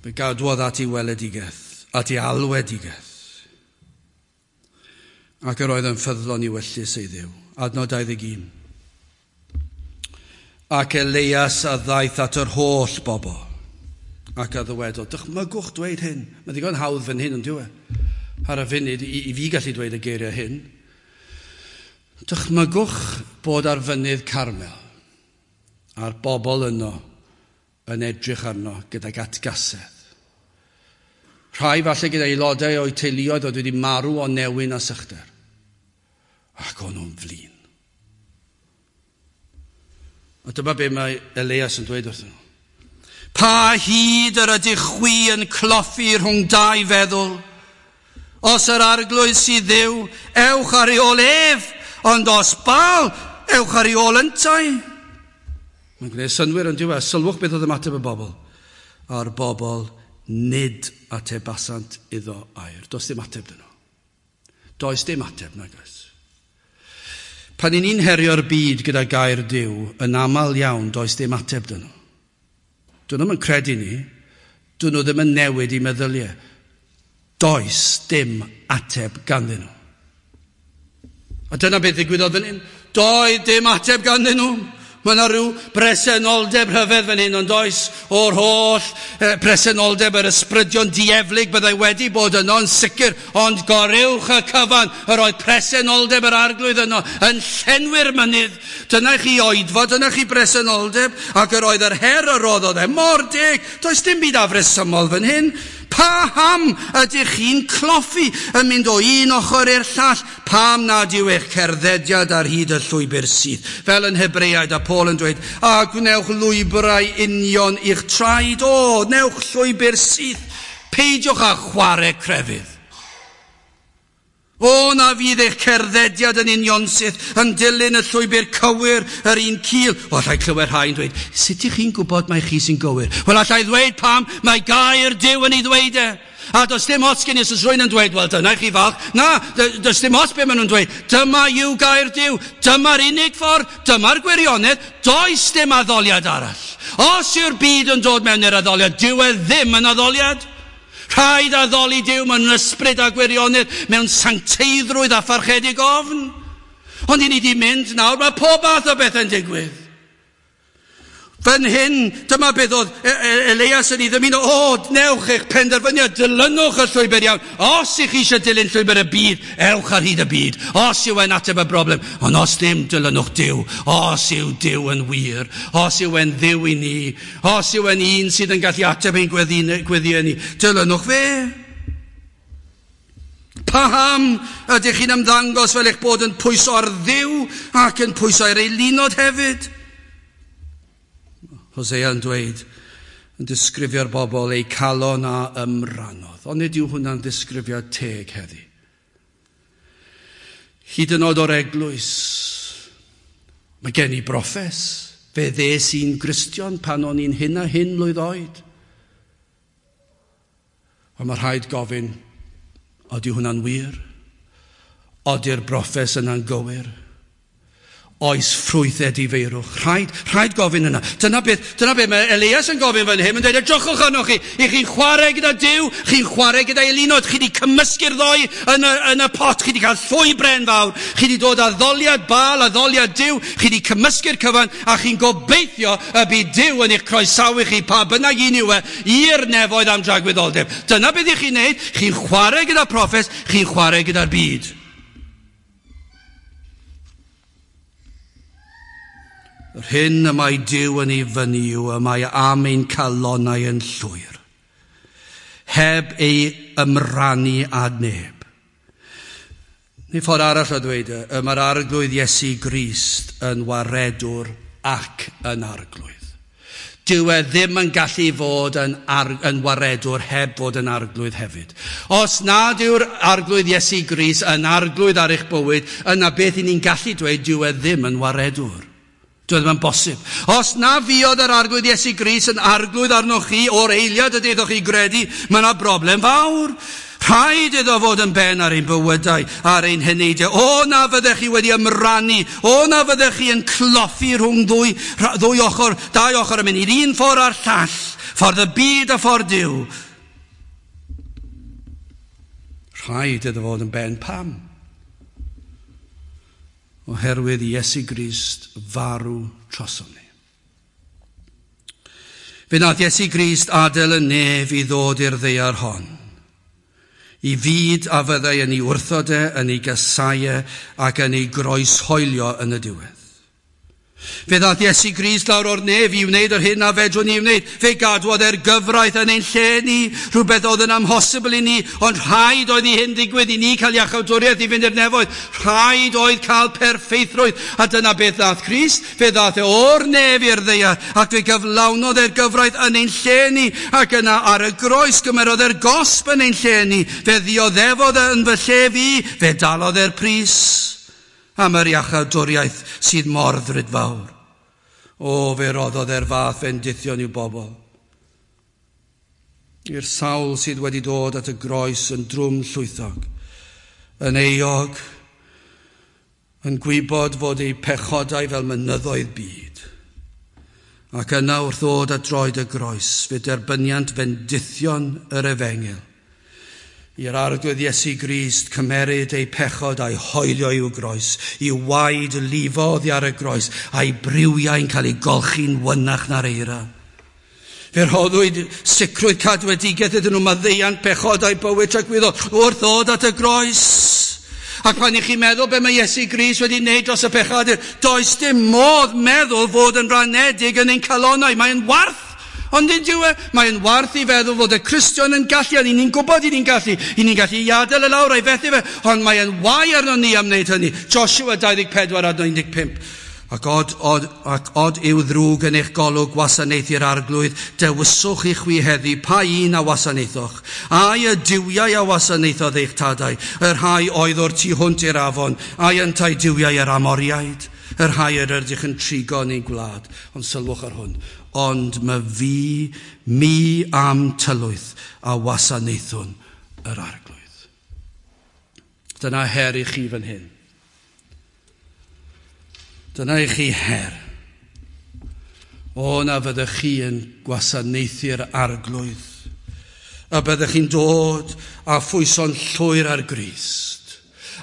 Speaker 1: Fe gadwodd at ei weledigaeth, at ei alwedigaeth. Ac yr oedd yn ffyddlon i wellus ei Dduw. Adnod 21. Ac Elias a ddaeth at yr holl bobl ac a ddywedodd, dychmygwch dweud hyn. Mae'n ddigon hawdd fan hyn, ond dyw e? Ar y funud, i fi gallu dweud y geiriau hyn. Dychmygwch bod ar fynydd Carmel a'r bobl yno yn edrych arno gydag atgasedd. Rhai falle gyda aelodau o'u teuluoedd oedd wedi marw o newyn a sychder. Ac o'n nhw'n flin. A dyma be mae Elias yn dweud wrthyn nhw. Pa hyd yr ydych chwi yn cloffi rhwng dau feddwl? Os yr arglwydd sydd Dduw, ewch ar ei ôl ef, ond os Baal, ewch ar ei ôl yntau. Mae'n gwneud synnwyr yn diwedd. Sylwch beth oedd ymateb y bobl. A'r bobl nid atebasant iddo air. Does dim ateb dyn nhw. Does dim ateb, nag oes. Pan i ni'n herio'r byd gyda gair Duw, yn aml iawn does dim ateb dyn nhw. Dyn nhw'm yn credu ni, dyn nhw ddim yn newid i meddyliau. Does dim ateb ganddyn nhw. A dyna beth ddigwyddodd fan hyn. Doedd dim ateb ganddyn nhw. Mae yna rhyw bresenoldeb rhyfedd fan hyn, ond oes o'r holl presenoldeb yr ysbrydion dieflig byddai wedi bod yno yn sicr, ond goruwch y cyfan, yr oedd presenoldeb yr arglwydd yno yn llenwi'r mynydd. Dyna chi oedfa, dyna chi bresenoldeb, ac yr oedd yr her yr roddodd e mor deg. Does dim byd afresymol fan hyn. Paham ydych chi'n cloffi yn mynd o un ochr i'r llall? Pam nad yw eich cerddediad ar hyd y llwybr syth? Fel yn Hebreaid a Paul yn dweud, a gwnewch lwybrau union i'ch traed. O, newch llwybr syth. Peidiwch â chwarae crefydd. O, na fydd eich cerddediad yn unionsyth yn dilyn y llwybr cywir yr un cul. O, allai clywed rhai'n dweud, sut ych chi'n gwybod mai chi sy'n gywir? Wel, allai ddweud pam mae gair Duw yn ei ddweud e. A does dim ots gen i os oes rhywun yn dweud, wel, dyna i chi falch. Na, does dim ots be maen nhw'n dweud. Dyma yw gair Duw. Dyma'r unig ffordd. Dyma'r gwirionedd. Does dim addoliad arall. Os yw'r byd yn dod mewn i'r addoliad, dyw e ddim yn addoliad. Rhaid addoli Duw mewn ysbryd a gwirionedd, mewn sancteiddrwydd a pharchedig ofn. Ond i ni di mynd nawr, mae pob math o bethau'n digwydd. Fan hyn, dyma beth oedd Elias yn ei ddymuno, o, newch eich penderfyniad, dilynwch y llwybr iawn. Os ych chi eisiau dilyn llwybr y byd, ewch ar hyd y byd. Os yw e'n ateb y broblem, ond os ddim, dilynwch Duw. Os yw Duw yn wir, os yw e'n Dduw i ni, os yw e'n un sydd yn gallu ateb ein gweddiau ni, dilynwch fe. Paham ydych chi'n ymddangos fel eich bod yn pwyso ar Dduw ac yn pwyso ar eilunod hefyd? Hosea yn dweud, yn disgrifio'r bobl eu calon a ymrannodd. Ond nid yw hwnna'n ddisgrifiad teg heddi. Hyd yn oed o'r eglwys, mae gen i broffes. Fe ddes i'n Gristion pan o'n i'n hyn a hyn mlwydd oed. Ond mae rhaid gofyn, ydy hwnna'n wir? Ydy'r broffes yna'n gywir? Oes ffrwyth edifeirwch? Rhaid gofyn yna. Dyna beth mae Elias yn gofyn fan hyn, yn dweud, edrychwch arnoch chi, i chi'n chwarae gyda Duw, chi'n chwarae gyda eilunod, chi wedi cymysgu'r ddoi yn y pot, chi wedi cael llwy bren fawr, chi wedi dod addoliad Baal, addoliad Duw, chi wedi cymysgu'r cyfan, a chi'n gobeithio y bydd Duw yn eich croesawu chi, pa bynnag un yw e, i'r nefoedd am dragwyddoldeb. Dyna beth i chi'n neud, chi'n chwarae gyda proffes, chi'n chwarae gyda'r byd. Yr hyn y mae Duw yn ei fyny yw y mae am ein calonnau yn llwyr, heb ei ymrannu â neb. Neu ffordd arall o ddweud, y mae'r Arglwydd Iesu Grist yn waredwr ac yn arglwydd. Dyw e ddim yn gallu fod yn waredwr heb fod yn arglwydd hefyd. Os nad yw'r Arglwydd Iesu Grist yn arglwydd ar eich bywyd, yna beth i ni'n gallu dweud, dyw e ddim yn waredwr. Dyw e ddim yn bosib. Os na fuodd yr Arglwydd Iesu Grist yn arglwydd arnoch chi o'r eiliad y daethoch chi gredu, mae yna broblem fawr. Rhaid iddo fod yn ben ar ein bywydau, ar ein heneidiau. O, na fyddech chi wedi ymrannu. O, na fyddech chi yn cloffi rhwng ddwy ochr, dau ochr yn mynd i'r un ffordd a'r llall. Ffordd y byd a ffordd Duw. Rhaid iddo fod yn ben. Pam? Oherwydd Iesu Grist farw trosom ni. Fe wnaeth Iesu Grist adael y nef i ddod i'r ddaear hon, i fyd a fyddai yn ei wrthod e, yn ei gasau e, ac yn ei groeshoelio yn y diwedd. Fe ddaeth Iesu Grist lawr o'r nef i wneud yr hyn a fedrwn ni wneud. Fe gadwodd e'r gyfraith yn ein lle ni, rhywbeth oedd yn amhosibl i ni, ond rhaid oedd i hyn ddigwydd i ni cael iachawdwriaeth i fynd i'r nefoedd. Rhaid oedd cael perffeithrwydd, a dyna beth ddaeth Crist. Fe ddaeth e o'r nef i'r ddaear, ac fe gyflawnodd e'r gyfraith yn ein lle ni, ac yna ar y groes gymerodd e'r gosb yn ein lle ni. Fe ddioddefodd e yn fy lle fi, fe dalodd e'r pris am yr iachawdwriaeth sydd mor ddrudfawr. O, fe roddodd e'r fath fendithion i'w bobl. I'r sawl sydd wedi dod at y groes yn drwm llwythog, yn euog, yn gwybod fod eu pechodau fel mynyddoedd byd. Ac yna wrth ddod at droed y groes, fe derbyniant fendithion yr efengyl. I'r Arglwydd Iesu Grist cymeryd eu pechod a'i hoelio i'w groes, i'w waed lifo oddi ar y groes, a'i briwiau'n cael ei golchi'n wynach na'r eira. Fe rhoddwyd sicrwydd cadwedigaeth iddyn nhw maddeuant pechodau bywyd tragwyddol wrth ddod at y groes. Ac pan i chi meddwl be mae Iesu Grist wedi wneud dros y pechadur, does dim modd meddwl fod yn ranedig yn ein calonnau. Mae'n warth Ond nid yw e, mae'n warth i feddwl fod y Cristion yn gallu, a ni'n gwybod i ni'n gallu, i ni'n gallu i adael y lawr a'i fethu fe, ond mae'n wae arno ni am wneud hynny. Joshua 24 a 15. Ac od, od, ac od yw ddrwg yn eich golwg wasanaethu'r arglwydd, dewiswch i chwi heddi pa un a wasanaethoch. Ai y duwiau a wasanaethodd eich tadau, y rhai oedd o'r tu hwnt i'r afon, ai yntau duwiau yr Amoriaid, y rhai yr ydych yn trigo yn ein gwlad. Ond sylwch ar hwn, ond mae fi, mi am tylwyth a wasanaethwn yr arglwydd. Dyna her i chi fan hyn. Dyna i chi her. O, na fyddech chi yn gwasanaethu'r arglwydd. A byddech chi'n dod a phwyso'n llwyr ar Grist.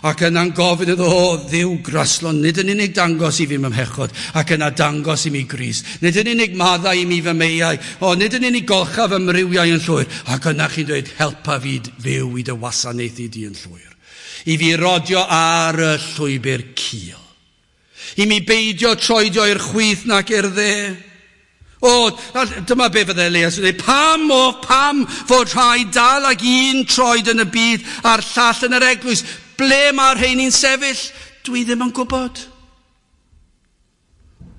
Speaker 1: Ac yna'n gofyn iddo, o, Dduw graslon, nid yn unig dangos i fi mhechod, ac yna dangos i mi Grist. Nid yn unig maddau i mi fy meiau, o, nid yn unig golcha fy mrywiau yn llwyr. Ac yna chi'n dweud, helpa fi fyw i dy wasanaethu di yn llwyr. I fi rodio ar y llwybr cul. I mi beidio troedio i'r chwith nac i'r dde. O, dyma be fydde Elias yn dweud. Pam, o, pam fod rhai dal ag un troed yn y byd a'r llall yn yr eglwys? Ble mae'r rheini'n sefyll? Dwi ddim yn gwybod.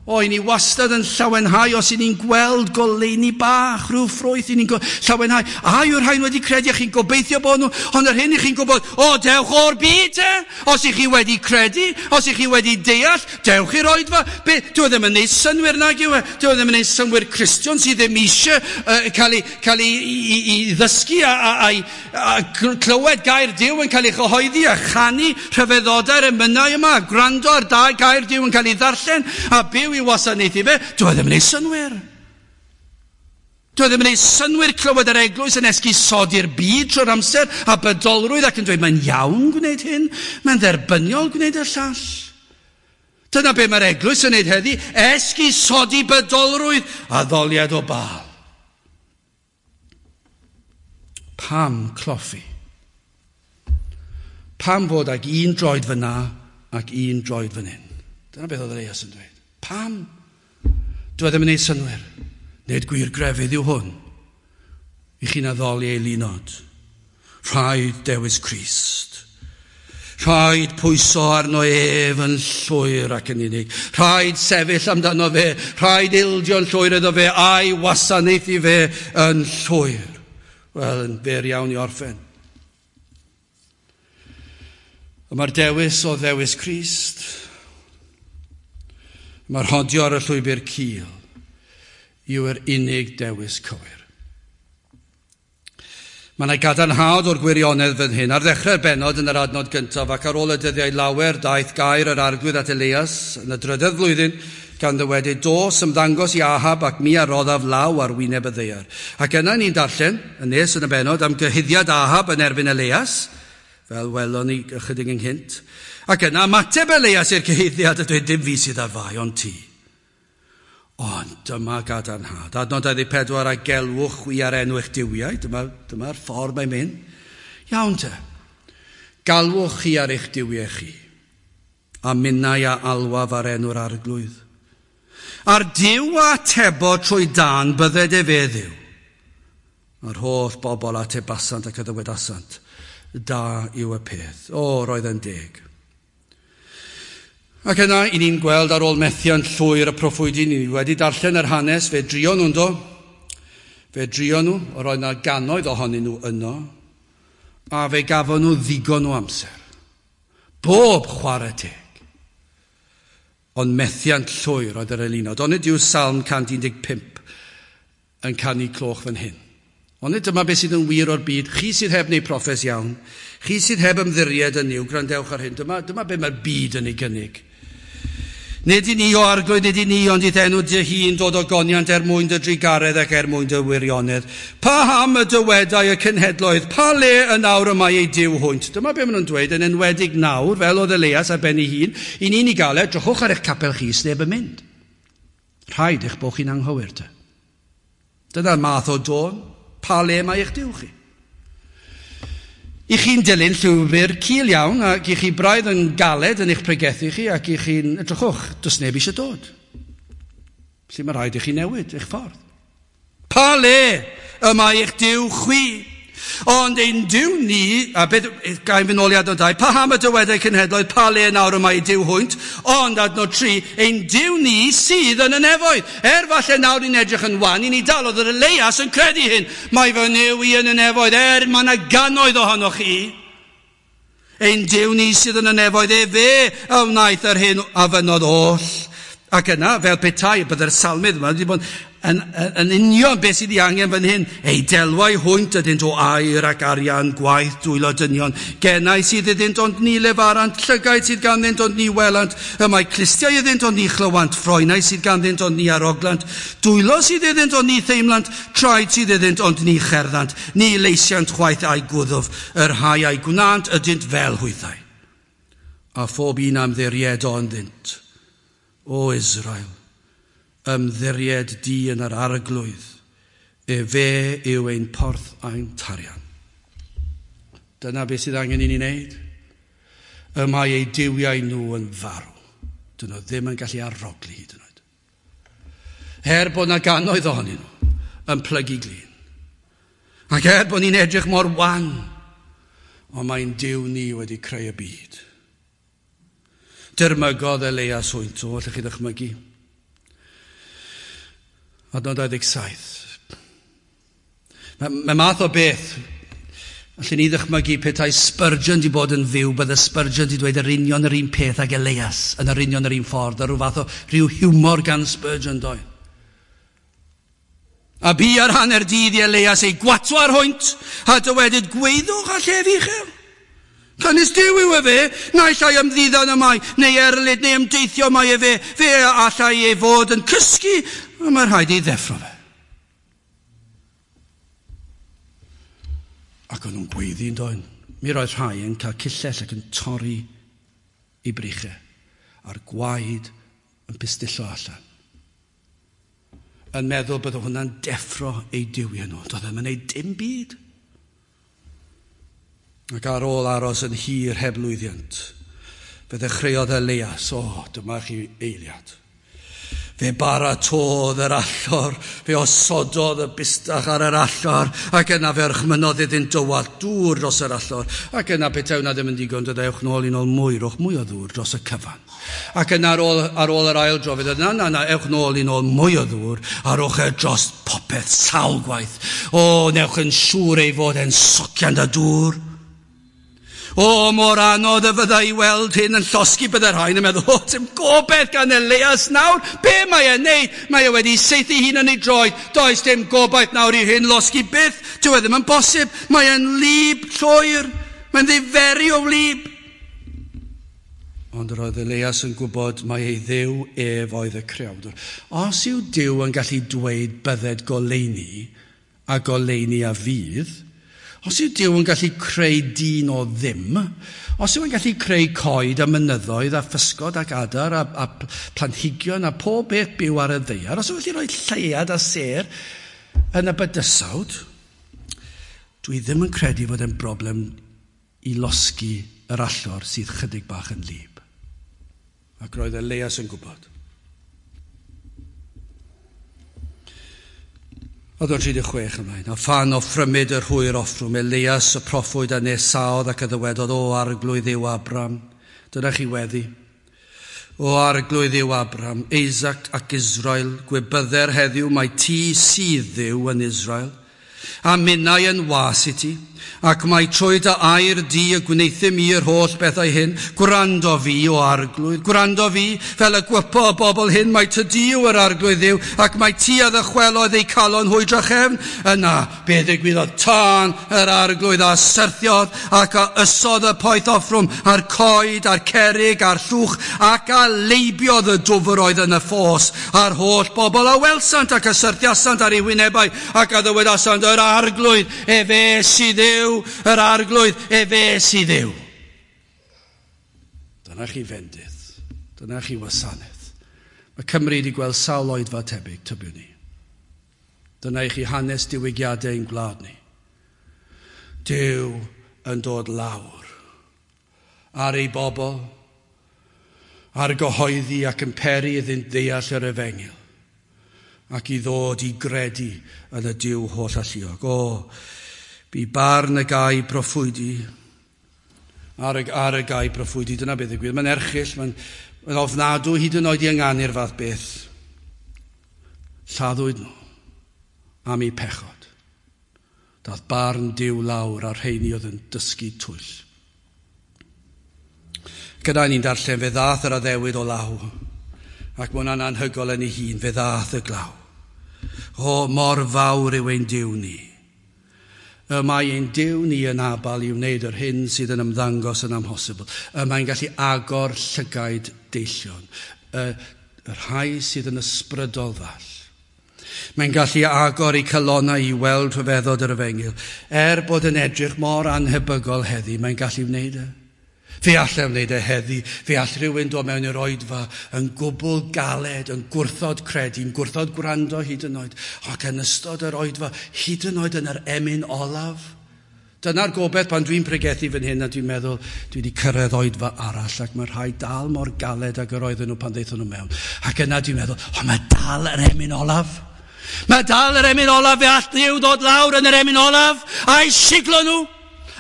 Speaker 1: O, i ni wastad yn llawenhau os i ni'n gweld goleuni bach, rhyw ffrwyth i ni'n llawenhau. A yw'r rhain wedi credu a chi'n gobeithio bod nhw, ond yr hyn i chi'n gwybod, o, dewch o'r byd te. Os i chi wedi credu, os i chi wedi deall, dewch i'r oedfa. Be, dwi ddim yn neud synnwyr nag yw e. Dwi ddim yn neud synnwyr Cristion sydd ddim eisiau cael ei, cael ei, i, i ddysgu a clywed gair Duw yn cael ei chyhoeddi a chanu rhyfeddodau'r emynau yma, a gwrando ar da gair Duw yn cael ei ddarllen a byw i wasanaethu fe. Dwi ddim yn ei synnwyr. Dwi ddim yn ei synnwyr clywed yr eglwys yn esgusodi'r byd trwy'r amser a bydolrwydd ac yn dweud mae'n iawn gwneud hyn, mae'n dderbyniol gwneud y llall. Dyna be mae'r eglwys yn neud heddi, esgusodi bydolrwydd a ddoliad o Baal. Pam cloffi? Pam fod ag un droed fyna ac un droed fan hyn? Dyna beth oedd Elias yn dweud. Pam? Dwi ddim yn neud synnwyr. Nid gwir grefydd yw hwn. I chi'n addoli ei linod. Rhaid dewis Crist. Rhaid pwyso arno ef yn llwyr ac yn unig. Rhaid sefyll amdano fe. Rhaid ildio'n llwyr iddo fe a'i wasanaethu fe yn llwyr. Wel, yn fyr iawn i orffen. Mae'r dewis o ddewis Crist. Mae'r rhodio ar y llwybr cul yw'r unig dewis cywir. Mae yna gadarnhad o'r gwirionedd fan hyn. Ar ddechrau'r bennod yn yr adnod gyntaf ac ar ôl y dyddiau lawer daeth gair yr arglwydd at Elias yn y drydedd flwyddyn gan ddywedyd, dos ymddangos i Ahab ac mi a roddaf law ar wyneb y ddaear. Ac yna ni'n darllen, yn nes yn y bennod, am gyhuddiad Ahab yn erbyn Elias, fel welon ni ychydig ynghynt. Ac yna ymateb Elias i'r cyhuddiad a dweud, dim fi sydd ar fai, ond ti. Ond dyma gadarnhad. Adnod 24, a gelwch chwi ar enw eich duwiau. Dyma'r ffordd mae'n mynd. Iawn te. Galwch chi ar eich duwiau chi. A minnau a alwaf ar enw'r arglwydd. A'r Duw a atebo trwy dan bydded efe Dduw. A'r holl bobl atebasant ac a ddywedasant. Da yw y peth. O, roedd yn deg. Ac yna, i ni'n gweld ar ôl methiant llwyr y proffwydi, ni wedi darllen yr hanes, fe drio nhw'n do. Fe drio nhw, yr oedd yna gannoedd ohonyn nhw yno, a fe gafon nhw ddigon o amser. Bob chwarae teg. Ond methiant llwyr oedd yr eilunod. Ond nid yw Salm 115 yn canu cloch fan hyn. Ond nid dyma beth sydd yn wir o'r byd. Chi sydd heb wneud proffes iawn, chi sydd heb ymddiried yn Nuw, gwrandewch ar hyn. Dyma beth mae'r byd yn ei gynnig. Nid i ni o arglwydd, nid i ni, ond i'th enw dy hun dod o goniant er mwyn dy drugaredd ac er mwyn dy wirionedd. Paham y dywedai y cenhedloedd, pa le yn awr y mae ei Duw hwynt? Dyma be maen nhw'n dweud, yn enwedig nawr, fel oedd Elias ar ben ei hun, i ni'n ei gael e, drychwch ar eich capel chi, sneb yn mynd. Rhaid eich bod chi'n anghywir te. Dyna'r math o dôn, pa le mae eich Duw chi? I chi'n dilyn llwybr cul iawn, ac i chi braidd yn galed yn eich pregethu chi, ac i chi'n edrychwch, does neb eisiau dod. Felly mae rhaid i chi newid eich ffordd. Pa le y mae eich Duw chwi? Ond ein Duw ni, a beth, gael fynd nôl i adnod 2, paham y dywedau cenhedloedd, pa le nawr y mae Duw hwynt? Ond adnod 3, ein Duw ni sydd yn y nefoedd. Er falle nawr ni'n edrych yn wan, i ni dal, oedd yr Elias yn credu hyn. Mae fy Nuw i yn y nefoedd, er mae yna gannoedd ohonoch chi. Ein Duw ni sydd yn y nefoedd, efe a wnaeth yr hyn a fynnodd oll. Ac yna, fel petai, byddai'r salmydd yma wedi bod yn union beth sydd ei angen fan hyn. Ei delwau hwynt ydynt o aur ac arian, gwaith dwylo dynion. Genau sydd iddynt ond ni lefarant, llygaid sydd ganddynt ond ni welant. Y mae clustiau iddynt ond ni chlywant, ffroenau sydd ganddynt ond ni aroglant. Dwylo sydd iddynt ond ni theimlant, traed sydd iddynt ond ni cherddant. Ni leisiant chwaith a'u gwddf, yr rhai a'i gwnant ydynt fel hwythau. A phob un am ddiriedo ynddynt. O Israel, ymddiried di yn yr arglwydd, efe yw ein porth a'n tarian. Dyna beth sydd angen i ni wneud. Y mae eu duwiau nhw yn farw. Dyn nhw ddim yn gallu arogli hyd yn oed. Er bod na gannoedd ohonyn nhw yn plygu glin. Ac er bod ni'n edrych mor wan, ond mae'n Duw ni wedi creu y byd. Dirmygodd Elias hwynt o, allwch chi ddychmygu. Adnod 27. Mae math o beth, allwn ni ddychmygu petai Spurgeon di bod yn fyw, bydde Spurgeon di dweud yr union yr un peth ag Elias, yn yr union yr un ffordd, a rhyw fath o rhyw hiwmor gan Spurgeon doedd. A bu ar hanner dydd i Elias ei gwatwar hwynt, a dywedyd gweiddwch a llef uchel. Canys Duw yw efe, naill ai ymddiddan y mae, neu erlid, neu ymdeithio mae efe, fe allai ei fod yn cysgu, a mae rhaid ei ddeffro fe. Ac o'n nhw'n gweiddi yn doen. Mi roedd rhai yn cael cillell ac yn torri i brychau, a'r gwaed yn pistillo allan. Yn meddwl bydde hwnna'n deffro eu duwiau nhw. Doedd ddim yn gwneud dim byd. Ac ar ôl aros yn hir heb lwyddiant, fe ddechreuodd Elias, o, dyma chi eiliad. Fe baratodd yr allor, fe osododd y bustach ar yr allor, ac yna fe orchmynnodd iddynt dywallt dŵr dros yr allor, ac yna petai hwnna ddim yn digon, dod ewch nôl i nôl mwy, rhowch mwy o ddŵr dros y cyfan. Ac yna ar ôl yr ail dro, fe ddweud, na, na, ewch nôl i nôl mwy o ddŵr, a rhowch e dros popeth sawl gwaith. O, newch yn siŵr ei fod e'n socian da dŵr. O, mor anodd y fydda i weld hyn yn llosgi, bydde'r rhain yn meddwl, o, dim gobaith gan Elias nawr, be mae e'n neud? Mae e wedi saethu hun yn ei droed, does dim gobaith nawr i hyn losgi byth, dyw e ddim yn bosib, mae e'n wlyb llwyr, mae'n ddiferi o wlyb. Ond roedd Elias yn gwybod mai ei Dduw ef oedd y creawdwr. Os yw Duw yn gallu dweud bydded goleuni, a goleuni a fydd, os yw Duw yn gallu creu dyn o ddim, os yw yn gallu creu coed a mynyddoedd a physgod ac adar a planhigion a pob beth byw ar y ddaear, os yw'n gallu rhoi lleuad a sêr yn y bydysawd, dwi ddim yn credu fod e'n broblem i losgi yr allor sydd chydig bach yn wlyb. Ac roedd Elias yn gwybod. Adnod 36 ymlaen. A phan offrymid yr hwyr offrwm, Elias y proffwyd a nesaodd ac a ddywedodd, o arglwydd Dduw Abram, dyna chi weddi. O arglwydd Dduw Abram, Isaac ac Israel, gwybydder heddiw mai ti sydd Dduw yn Israel, a minnau yn was i ti, ac mae trwy dy air di y gwneuthum i yr holl bethau hyn. Gwrando fi, o arglwydd, gwrando fi, fel y gwypo y bobl hyn, mai ty di yw yr arglwydd Dduw, ac mai ti a ddychwelodd eu calon hwy drachefn. Yna, be ddigwyddodd? Tân yr arglwydd a syrthiodd, ac a ysodd y poeth offrwm, a'r coed, a'r cerrig, a'r llwch, ac a leibiodd y dwfr oedd yn y ffos, a'r holl bobl a welsant ac a syrthiasant ar eu wynebau, ac a ddywedasant, yr arglwydd, efe sydd Dduw, yr arglwydd, efe sydd Dduw. Dyna chi fendith, dyna chi wasanaeth. Mae Cymru wedi gweld sawl oedfa tebyg, tybiwn ni. Dyna i chi hanes diwygiadau ein gwlad ni. Duw yn dod lawr ar ei bobl, ar gyhoeddi ac yn peri iddynt ddeall yr efengyl. ac i ddod i gredu yn y Duw holl alluog. O, bu barn y gau proffwydi, ar y gau proffwydi, dyna beth ddigwydd. Mae'n erchyll, mae'n ofnadw hyd yn oed i ynganu'r fath beth. Lladdwyd nhw am eu pechod. Dath barn Duw lawr a'r rheini oedd yn dysgu twyll. Gyda ni'n darllen, fe ddath yr addewid o law, ac mae hwnna'n anhygoel yn ei hun, fe ddath y glaw. O, mor fawr yw ein Duw ni. Y mae ein Duw ni yn abal i wneud yr hyn sydd yn ymddangos yn amhosibl. Y mae'n gallu agor llygaid deillion, y rhai sydd yn ysbrydol ddall. Mae'n gallu agor eu calonnau i weld rhyfeddod yr efengyl. Er bod yn edrych mor anhebygol heddi, mae'n gallu wneud e. Fe all e wneud e heddi, fe all rhywun dod mewn i'r oedfa yn gwbl galed, yn gwrthod credu, yn gwrthod gwrando hyd yn oed, ac yn ystod yr oedfa, hyd yn oed yn yr emyn olaf. Dyna'r gobaith pan dwi'n pregethu fan hyn a dwi'n meddwl dwi wedi cyrraedd oedfa arall ac mae rhai dal mor galed ag yr oedden nhw pan ddaethon nhw mewn. Ac yna dwi'n meddwl, o, mae dal yr emyn olaf. Mae dal yr emyn olaf, fe all Dduw ddod lawr yn yr emyn olaf a'i siglo nhw,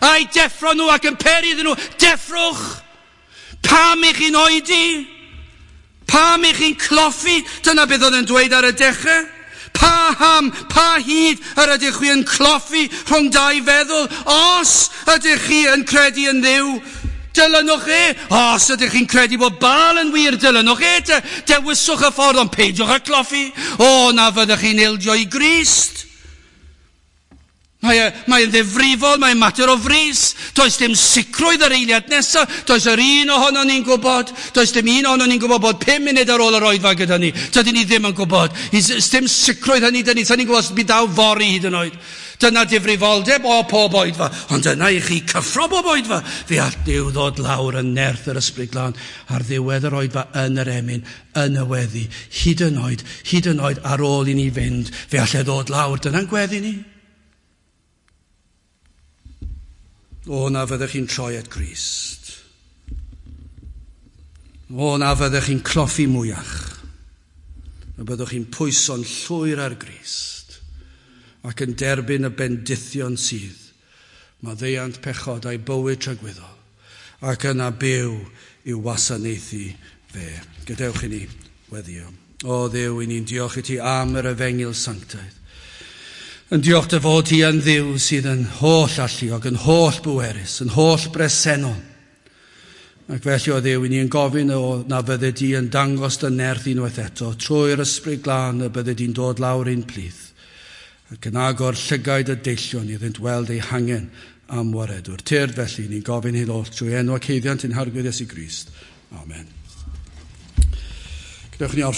Speaker 1: a'i deffro nhw ac yn peri iddyn nhw, deffrwch! Pam i chi'n oedi? Pam i chi'n cloffi? Dyna beth oedd yn dweud ar y dechrau. Paham, pa hyd yr ydych chi yn cloffi rhwng dau feddwl? Os ydych chi yn credu yn Dduw, dilynwch e. Os ydych chi'n credu bod Baal yn wir, dilynwch e. Dewiswch y ffordd, ond peidiwch â cloffi. O, na fyddwch chi'n ildio i Grist. Mae'n ddifrifol, mae'n mater o frys. Does dim sicrwydd yr eiliad nesaf. Does yr un ohono ni'n gwybod. Does dim un ohono ni'n gwybod bod 5 munud ar ôl yr oedfa gyda ni. Dydyn ni ddim yn gwybod. Does dim sicrwydd hynny dyn ni. Sa'n ni'n gwybod os bydd daw fory hyd yn oed. Dyna difrifoldeb o pob oedfa. Ond dyna i chi cyffro bob oedfa. Fe all Duw ddod lawr yn nerth yr Ysbryd Glân ar ddiwedd yr oedfa yn yr emyn, yn y weddi. Hyd yn oed ar ôl i ni fynd, fe all e ddod lawr. Dyna'n gweddi ni. O, na fyddech chi'n troi at Grist. O, na fyddech chi'n cloffi mwyach. Y byddwch chi'n pwyso'n llwyr ar Grist ac yn derbyn y bendithion sydd. Maddeuant pechodau bywyd tragwyddol ac yna byw i'w wasanaethu fe. Gadewch i ni weddio. O Dduw, i ni'n diolch i ti am yr efengyl sanctaidd. Yn diolch dy fod ti yn Dduw sydd yn holl alluog, yn holl bwerus, yn holl bresennol. Ac felly o Dduw, i ni yn gofyn o na fydde di yn dangos dy nerth unwaith eto, trwy'r Ysbryd Glân y bydde di'n dod lawr ein plith, ac yn agor llygaid y deillion iddynt weld eu hangen am waredwr. Tyrd felly, ni'n gofyn hyn oll trwy enw ac haeddiant ein Harglwydd Iesu Grist. Amen. Gadewch ni orffen.